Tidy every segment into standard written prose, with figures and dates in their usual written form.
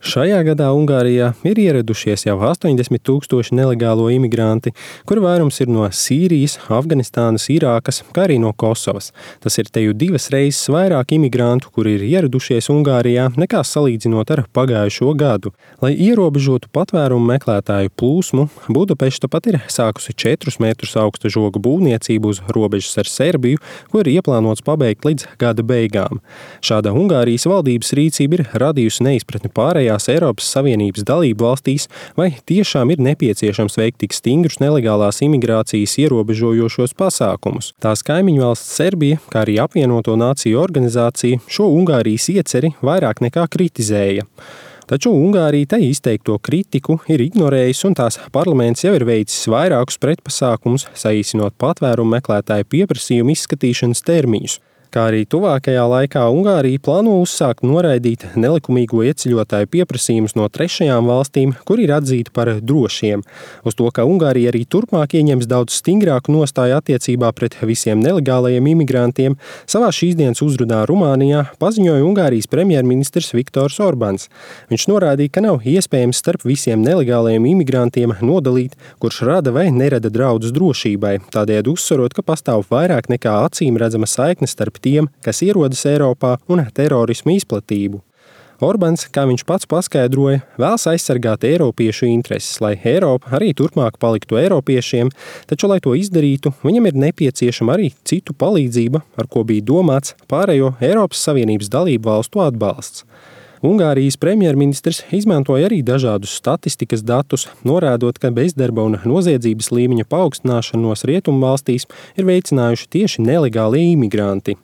Šajā gadā Ungārijā ir ieradušies jau 80,000 nelegālo imigranti, kuri vairums ir no Sīrijas, Afganistānas, Irākas, kā arī no Kosovas. Tas ir teju 2 reizes vairāk imigrantu, kuri ir ieradušies Ungārijā, nekā salīdzinot ar pagājušo gadu. Lai ierobežotu patvērumu meklētāju plūsmu, Budapešta pat ir sākusi 4 metrus augsta žoga būvniecību uz robežas ar Serbiju, ko ir ieplānots pabeigt līdz gada beigām. Šāda Ungārijas valdības rīcība ir radījusi neizpratni pārējās Eiropas Savienības dalību valstīs, vai tiešām ir nepieciešams veikt tik stingrus nelegālās imigrācijas ierobežojošos pasākumus. Tās kaimiņu valsts Serbija, kā arī Apvienoto Nāciju organizācija, šo Ungārijas ieceri vairāk nekā kritizēja. Taču Ungārija tai izteikto kritiku ir ignorējis, un tās parlaments jau ir veicis vairākus pretpasākumus, saīsinot patvērumu meklētāju pieprasījumu izskatīšanas termiņus. Kā arī tuvākajā laikā Ungārija plāno uzsākt noraidīt nelikumīgo ieceļotāju pieprasījumus no 3. valstīm, kur ir atzīti par drošiem. Uz to, ka Ungārija arī turpmāk ieņems daudz stingrāku nostāju attiecībā pret visiem nelegālajiem imigrantiem, savā šīsdienas uzrunā Rumānijā paziņoja Ungārijas premjerministrs Viktors Orbāns. Viņš norādīja, ka nav iespējams starp visiem nelegālajiem imigrantiem nodalīt, kurš rada vai nerada draudus drošībai, tādējādi uzsverot, ka pastāv vairāk nekā acīm redzama saikne starp tiem, kas ierodas Eiropā, un terorismu izplatību. Orbāns, kā viņš pats paskaidroja, vēlas aizsargāt eiropiešu intereses, lai Eiropa arī turpmāk paliktu eiropiešiem, taču, lai to izdarītu, viņam ir nepieciešama arī citu palīdzība, ar ko bija domāts pārējo Eiropas Savienības dalību valstu atbalsts. Ungārijas premjerministrs izmantoja arī dažādus statistikas datus, norādot, ka bezdarba un noziedzības līmeņa paaugstināšanos rietumvalstīs ir veicinājuši tieši nelegāli imigranti.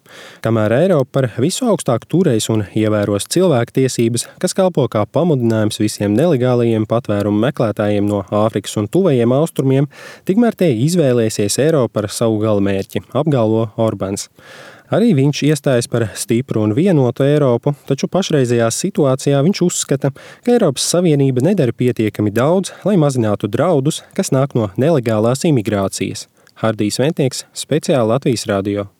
Kamēr Eiropa par visu augstāk turēs un ievēros cilvēktiesības, kas kalpo kā pamudinājums visiem nelegālajiem patvērumu meklētājiem no Āfrikas un tuvajiem austrumiem, tikmēr te izvēlēsies Eiropu par savu galamērķi, apgalvo Orbāns. Arī viņš iestājas par stipru un vienotu Eiropu, taču pašreizējā situācijā viņš uzskata, ka Eiropas Savienība nedara pietiekami daudz, lai mazinātu draudus, kas nāk no nelegālās imigrācijas. Hardijs Ventnieks, speciāli Latvijas radio.